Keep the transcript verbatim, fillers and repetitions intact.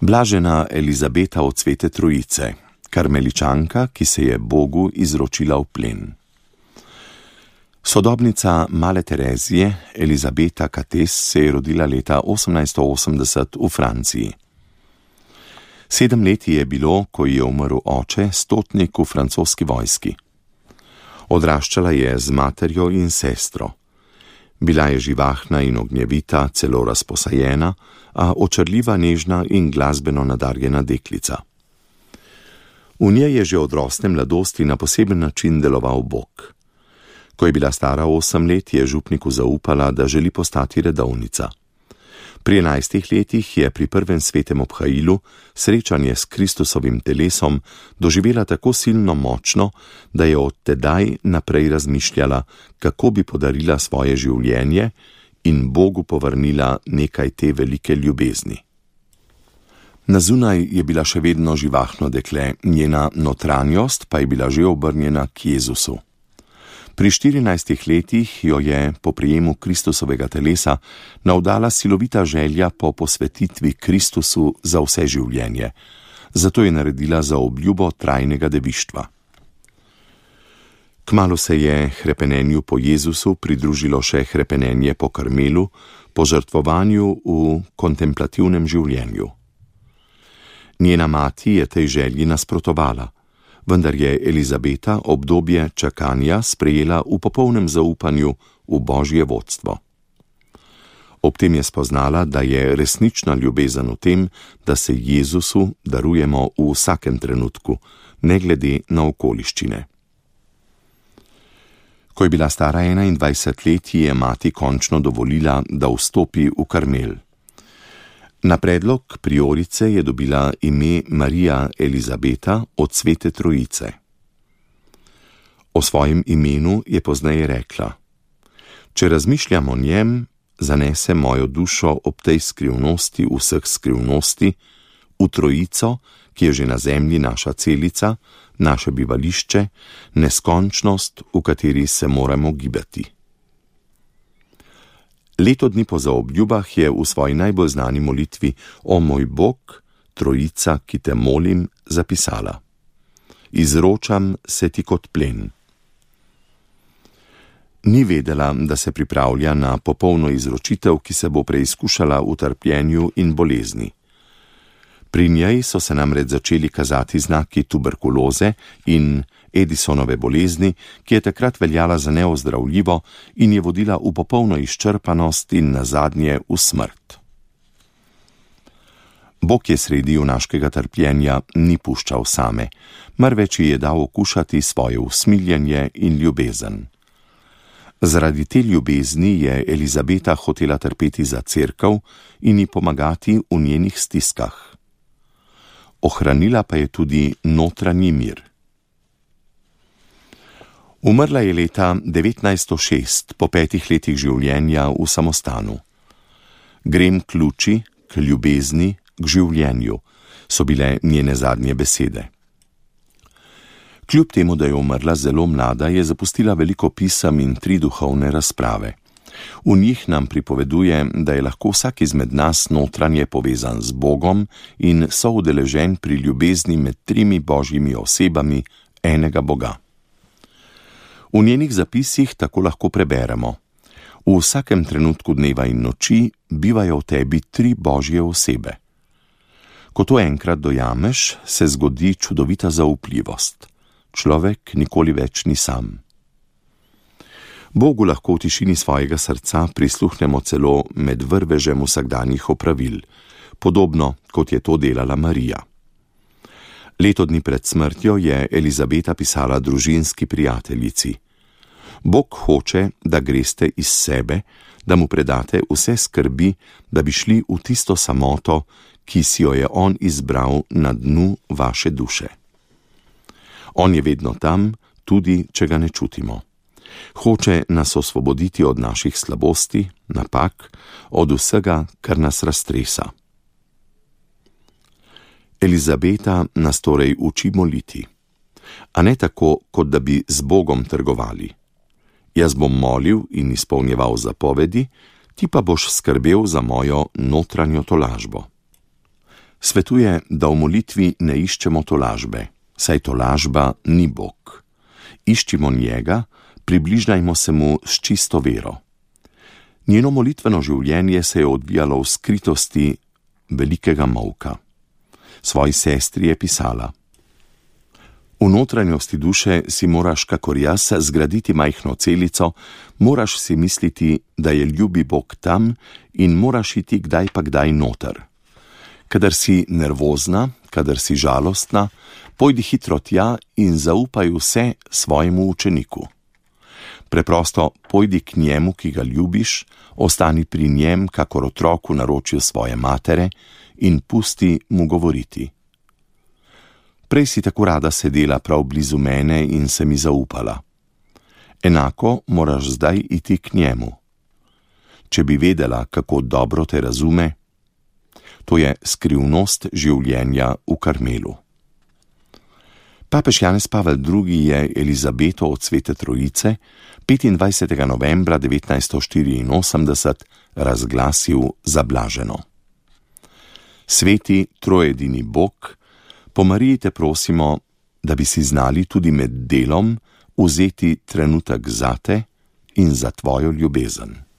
Blažena Elizabeta od Svete Trojice, karmeličanka, ki se je Bogu izročila v plen. Sodobnica male Terezije, Elizabeta Catés, se je rodila leta osemnajststo osemdeset v Franciji. Sedem let je bilo, ko je umrl oče, stotnik v francoski vojski. Odraščala je z materjo in sestro. Bila je živahna in ognjevita, celo razposajena, a očarljiva, nežna in glasbeno nadarjena deklica. V njej je že od rosne mladosti na poseben način deloval Bog. Ko je bila stara osem let, je župniku zaupala, da želi postati redovnica. Pri enajstih letih je pri prvem svetem obhajilu srečanje s Kristusovim telesom doživela tako silno močno, da je od tedaj naprej razmišljala, kako bi podarila svoje življenje in Bogu povrnila nekaj te velike ljubezni. Na zunaj je bila še vedno živahno dekle, njena notranjost pa je bila že obrnjena k Jezusu. Pri štirinajstih letih jo je po prijemu Kristusovega telesa navdala silovita želja po posvetitvi Kristusu za vse življenje, zato je naredila zaobljubo trajnega devištva. Kmalu se je hrepenenju po Jezusu pridružilo še hrepenenje po Karmelu, po žrtvovanju v kontemplativnem življenju. Njena mati je tej želji nasprotovala, vendar je Elizabeta obdobje čakanja sprejela v popolnem zaupanju v Božje vodstvo. Ob tem je spoznala, da je resnična ljubezen v tem, da se Jezusu darujemo v vsakem trenutku, ne glede na okoliščine. Ko je bila stara enaindvajset let, ji je mati končno dovolila, da vstopi v Karmel. Na predlog priorice je dobila ime Marija Elizabeta od Svete Trojice. O svojem imenu je pozneje rekla: Če razmišljam o njem, zanese mojo dušo ob tej skrivnosti vseh skrivnosti, v Trojico, ki je že na zemlji naša celica, naše bivališče, neskončnost, v kateri se moramo gibati. Leto dni po zaobljubah je v svoji najbolj znani molitvi O moj Bog, Trojica, ki te molim, zapisala: Izročam se ti kot plen. Ni vedela, da se pripravlja na popolno izročitev, ki se bo preizkušala v trpljenju in bolezni. Pri njej so se namreč začeli kazati znaki tuberkuloze in Edisonove bolezni, ki je takrat veljala za neozdravljivo in je vodila v popolno izčrpanost in nazadnje v smrt. Bog je sredi junaškega trpljenja ni puščal same, marveč ji je dal okušati svoje usmiljenje in ljubezen. Zaradi te ljubezni je Elizabeta hotela trpeti za cerkev in ji pomagati v njenih stiskah. Ohranila pa je tudi notranji mir. Umrla je leta devetnajststo šest, po petih letih življenja v samostanu. Grem k luči, k ljubezni, k življenju, so bile njene zadnje besede. Kljub temu, da je umrla zelo mlada, je zapustila veliko pisem in tri duhovne razprave. V njih nam pripoveduje, da je lahko vsak izmed nas notranje povezan z Bogom in soudeležen pri ljubezni med trimi božjimi osebami enega Boga. V njenih zapisih tako lahko preberemo: V vsakem trenutku dneva in noči bivajo v tebi tri božje osebe. Ko to enkrat dojameš, se zgodi čudovita zaupljivost. Človek nikoli več ni sam. Bogu lahko v tišini svojega srca prisluhnemo celo med vrvežem vsakdanjih opravil, podobno kot je to delala Marija. Leto dni pred smrtjo je Elizabeta pisala družinski prijateljici: Bog hoče, da greste iz sebe, da mu predate vse skrbi, da bi šli v tisto samoto, ki si jo je on izbral na dnu vaše duše. On je vedno tam, tudi če ga ne čutimo. Hoče nas osvoboditi od naših slabosti, napak, od vsega, kar nas raztresa. Elizabeta nas torej uči moliti, a ne tako, kot da bi z Bogom trgovali. Jaz bom molil in izpolnjeval zapovedi, ti pa boš skrbel za mojo notranjo tolažbo. Svetuje, da v molitvi ne iščemo tolažbe, saj tolažba ni Bog. Iščimo njega, približajmo se mu s čisto vero. Njeno molitveno življenje se je odvijalo v skritosti velikega molka. Svoji sestri je pisala: V notranjosti duše si moraš, kakor jaz, zgraditi majhno celico, moraš si misliti, da je ljubi Bog tam in moraš iti kdaj pa kdaj noter. Kadar si nervozna, kadar si žalostna, pojdi hitro tja in zaupaj vse svojemu učeniku. Preprosto pojdi k njemu, ki ga ljubiš, ostani pri njem, kakor otrok v naročju svoje matere, in pusti mu govoriti. Prej si tako rada sedela prav blizu mene in se mi zaupala. Enako moraš zdaj iti k njemu. Če bi vedela, kako dobro te razume, to je skrivnost življenja v Karmelu. Papež Janez Pavel drugi. je Elizabeto od Svete Trojice petindvajsetega novembra devetnajststo štiriinosemdeset razglasil za blaženo. Sveti trojedini Bog, po Mariji te prosimo, da bi si znali tudi med delom vzeti trenutek zate in za tvojo ljubezen.